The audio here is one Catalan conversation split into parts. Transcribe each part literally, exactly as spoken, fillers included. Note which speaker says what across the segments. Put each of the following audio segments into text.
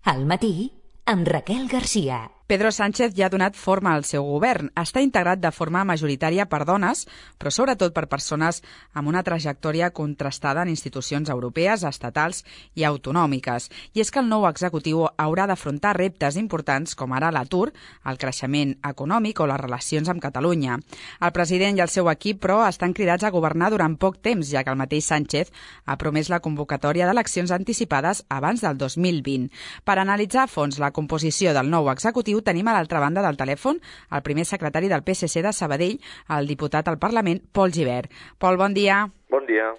Speaker 1: Al matí, amb Raquel Garcia.
Speaker 2: Pedro Sánchez ja ha donat forma al seu govern. Està integrat de forma majoritària per dones, però sobretot per persones amb una trajectòria contrastada en institucions europees, estatals i autonòmiques. I és que el nou executiu haurà d'afrontar reptes importants com ara l'atur, el creixement econòmic o les relacions amb Catalunya. El president i el seu equip, però, estan cridats a governar durant poc temps, ja que el mateix Sánchez ha promès la convocatòria d'eleccions anticipades abans del dos mil vint. Per analitzar a fons la composició del nou executiu, tenim a l'altra banda del telèfon el primer secretari del P S C de Sabadell, el diputat al Parlament, Pol Gibert. Pol, bon dia.
Speaker 3: Bon dia.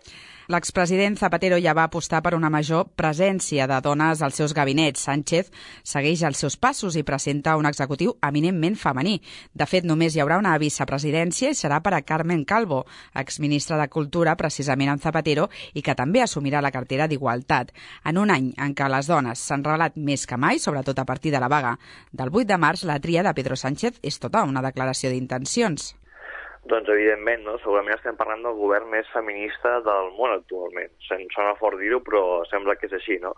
Speaker 2: L'expresident Zapatero ja va apostar per una major presència de dones als seus gabinets. Sánchez segueix els seus passos i presenta un executiu eminentment femení. De fet, només hi haurà una vicepresidència i serà per a Carmen Calvo, exministra de Cultura, precisament amb Zapatero, i que també assumirà la cartera d'Igualtat. En un any en què les dones s'han revelat més que mai, sobretot a partir de la vaga del vuit de març, la tria de Pedro Sánchez és tota una declaració d'intencions.
Speaker 3: Doncs, evidentment, no? Segurament estem parlant del govern més feminista del món actualment. Se'n sona fort dir-ho, però sembla que és així, no?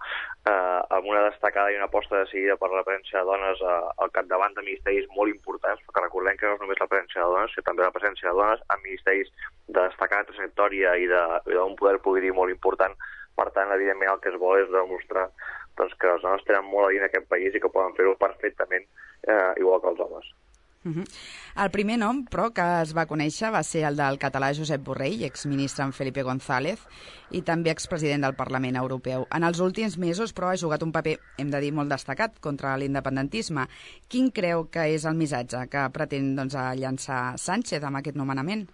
Speaker 3: Eh, amb una destacada i una aposta decidida per la presència de dones eh, al capdavant de ministeris molt importants, perquè recordem que no és només la presència de dones, sinó també la presència de dones en ministeris de destacada trajectòria i d'un poder polític molt important. Per tant, evidentment, el que es vol és demostrar doncs, que les dones tenen molt a dir en aquest país i que poden fer-ho perfectament eh, igual que els homes.
Speaker 2: Uh-huh. El primer nom, però, que es va conèixer va ser el del català Josep Borrell, exministre amb Felipe González i també expresident del Parlament Europeu. En els últims mesos, però, ha jugat un paper, hem de dir, molt destacat contra l'independentisme. Quin creu que és el missatge que pretén doncs, llançar Sánchez amb aquest nomenament?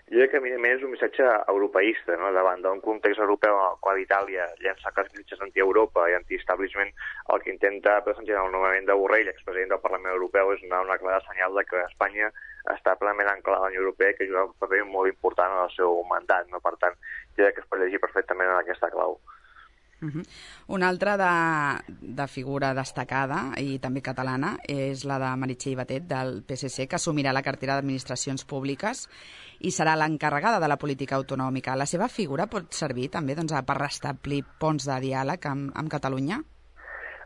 Speaker 3: Jo crec que, evidentment, és un missatge europeista, no? Davant d'un context europeu en el qual Itàlia llença els missatges anti-Europa i anti-establishment, el que intenta presentar el nomenament de Borrell, expresident del Parlament Europeu, és donar una clara senyal de que Espanya està plenament anclada a la Unió Europea i que juga un paper molt important en el seu mandat. No? Per tant, jo crec que es pot llegir perfectament en aquesta clau.
Speaker 2: Uh-huh. Una altra de, de figura destacada i també catalana és la de Meritxell Batet del P S C, que assumirà la cartera d'Administracions Públiques i serà l'encarregada de la política autonòmica. La seva figura pot servir també doncs, per restablir ponts de diàleg amb, amb Catalunya?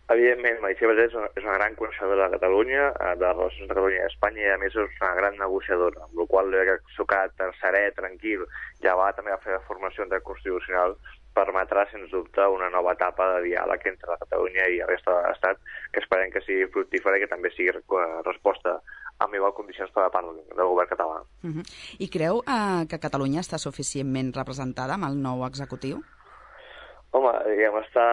Speaker 3: Evidentment, Meritxell Batet és una, és una gran coneixedora de Catalunya, de les relacions de Catalunya i Espanya, i a més és una gran negociadora, amb la qual cosa que el seu caràcter serè, tranquil, ja va també a fer la formació constitucional, permetrà, sens dubte, una nova etapa de diàleg entre la Catalunya i la resta de l'Estat, que esperem que sigui fructífera i que també sigui resposta amb igual condicions per la part del govern català.
Speaker 2: Uh-huh. I creu eh, que Catalunya està suficientment representada amb el nou executiu?
Speaker 3: Home, diguem, està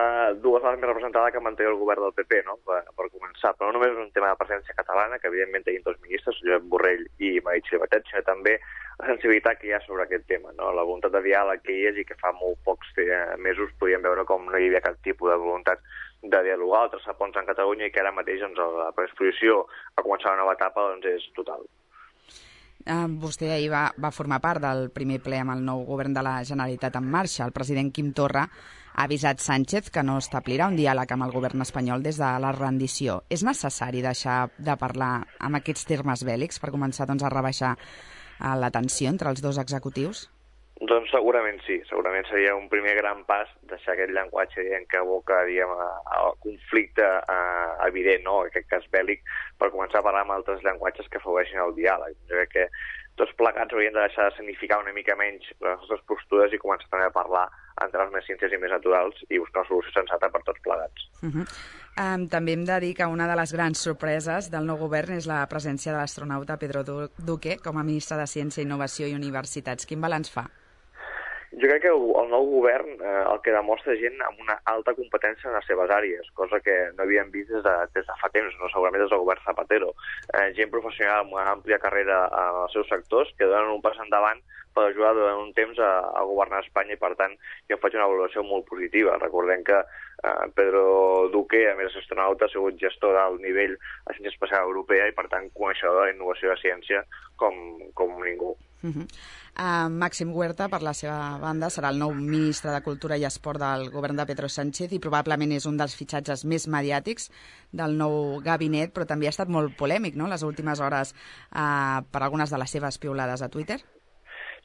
Speaker 3: dues vegades més representada que manté el govern del P P, no?, per, per començar. Però no només és un tema de presència catalana, que evidentment tenim dos ministres, Josep Borrell i Meritxell Batet, sinó també la sensibilitat que hi ha sobre aquest tema, no? La voluntat de diàleg que hi és i que fa molt pocs mesos podíem veure com no hi havia cap tipus de voluntat de dialogar o traçar ponts en Catalunya i que ara mateix doncs, la predisposició a començar una nova etapa doncs, és total.
Speaker 2: Uh, vostè ahir va, va formar part del primer ple amb el nou govern de la Generalitat en marxa. El president Quim Torra ha avisat Sánchez que no establirà un diàleg amb el govern espanyol des de la rendició. És necessari deixar de parlar amb aquests termes bèl·lics per començar doncs, a rebaixar uh, la tensió entre els dos executius?
Speaker 3: Doncs segurament sí, segurament seria un primer gran pas deixar aquest llenguatge diguem, que aboca diguem, al conflicte eh, evident, no? En aquest cas bèl·lic, per començar a parlar amb altres llenguatges que afavoreixin el diàleg. Jo crec que tots plegats hauríem de deixar de significar una mica menys les nostres postures i començar també a parlar en termes més simples i més naturals i buscar una solució sensata per tots plegats.
Speaker 2: Uh-huh. Um, també hem de dir que una de les grans sorpreses del nou govern és la presència de l'astronauta Pedro Duque com a ministre de Ciència, Innovació i Universitats. Quin balanç fa?
Speaker 3: Jo crec que el nou govern eh, el que demostra gent amb una alta competència en les seves àrees, cosa que no havíem vist des de, des de fa temps, no segurament des del govern Zapatero. Eh, gent professional amb una àmplia carrera en els seus sectors que donen un pas endavant per ajudar durant un temps a, a governar Espanya i, per tant, jo faig una valoració molt positiva. Recordem que eh, Pedro Duque, a més d'astronauta, ha sigut gestor d'alt nivell a Ciència Espacial Europea i, per tant, coneixedor de la innovació de ciència com, com ningú.
Speaker 2: Uh-huh. Uh, Màxim Huerta, per la seva banda, serà el nou ministre de Cultura i Esport del govern de Pedro Sánchez i probablement és un dels fitxatges més mediàtics del nou gabinet, però també ha estat molt polèmic, no?, les últimes hores uh, per algunes de les seves piulades a Twitter.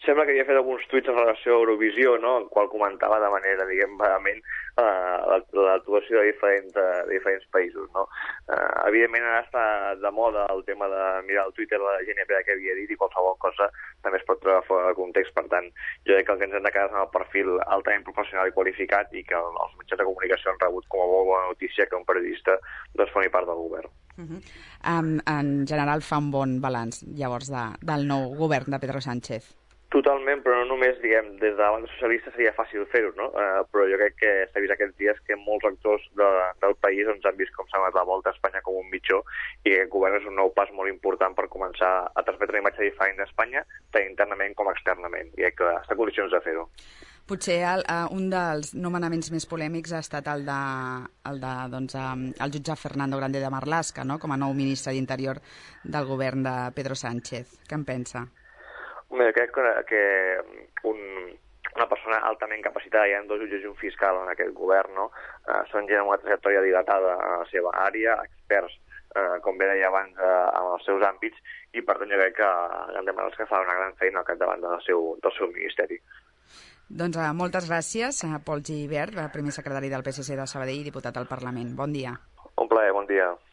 Speaker 3: sembla que havia fet alguns tuits en relació a Eurovisió, no?, en qual comentava de manera, diguem, vehement uh, l'actuació de diferents, de, de diferents països, no? Uh, evidentment ara està de moda el tema de mirar el Twitter de la G N P que havia dit i qualsevol cosa també es pot treure fora de context. Per tant, jo crec que el que ens hem de quedar és amb el perfil altament professional i qualificat i que els mitjans de comunicació han rebut com a molt bona notícia que un periodista doncs, formi part del govern.
Speaker 2: Uh -huh. um, en general fa un bon balanç, llavors, de, del nou govern de Pedro Sánchez.
Speaker 3: Totalment, però no només, diguem, des de la banda socialista seria fàcil fer-ho, no? Uh, però jo crec que s'ha vist aquests dies que molts actors de, del país doncs, han vist com s'ha donat la volta a Espanya com un mitjó i que aquest govern és un nou pas molt important per començar a transmetre una imatge diferent d'Espanya, tant internament com externament, i crec que està en condicions de fer-ho.
Speaker 2: Potser el, uh, un dels nomenaments més polèmics ha estat el de, el de doncs, um, el jutge Fernando Grande de Marlaska, no?, com a nou ministre d'Interior del govern de Pedro Sánchez. Què en pensa?
Speaker 3: Bé, crec que, que un, una persona altament capacitada, hi ha dos jutges i un fiscal en aquest govern, no? Uh, són gent amb una trajectòria dilatada a la seva àrea, experts, uh, com bé deia abans, uh, en els seus àmbits, i per tant jo crec que han demanat que fa una gran feina al capdavant del seu, del seu ministeri.
Speaker 2: Doncs uh, moltes gràcies a Pol Gibert, primer secretari del P S C de Sabadell i diputat al Parlament. Bon dia.
Speaker 3: Un plaer, bon dia.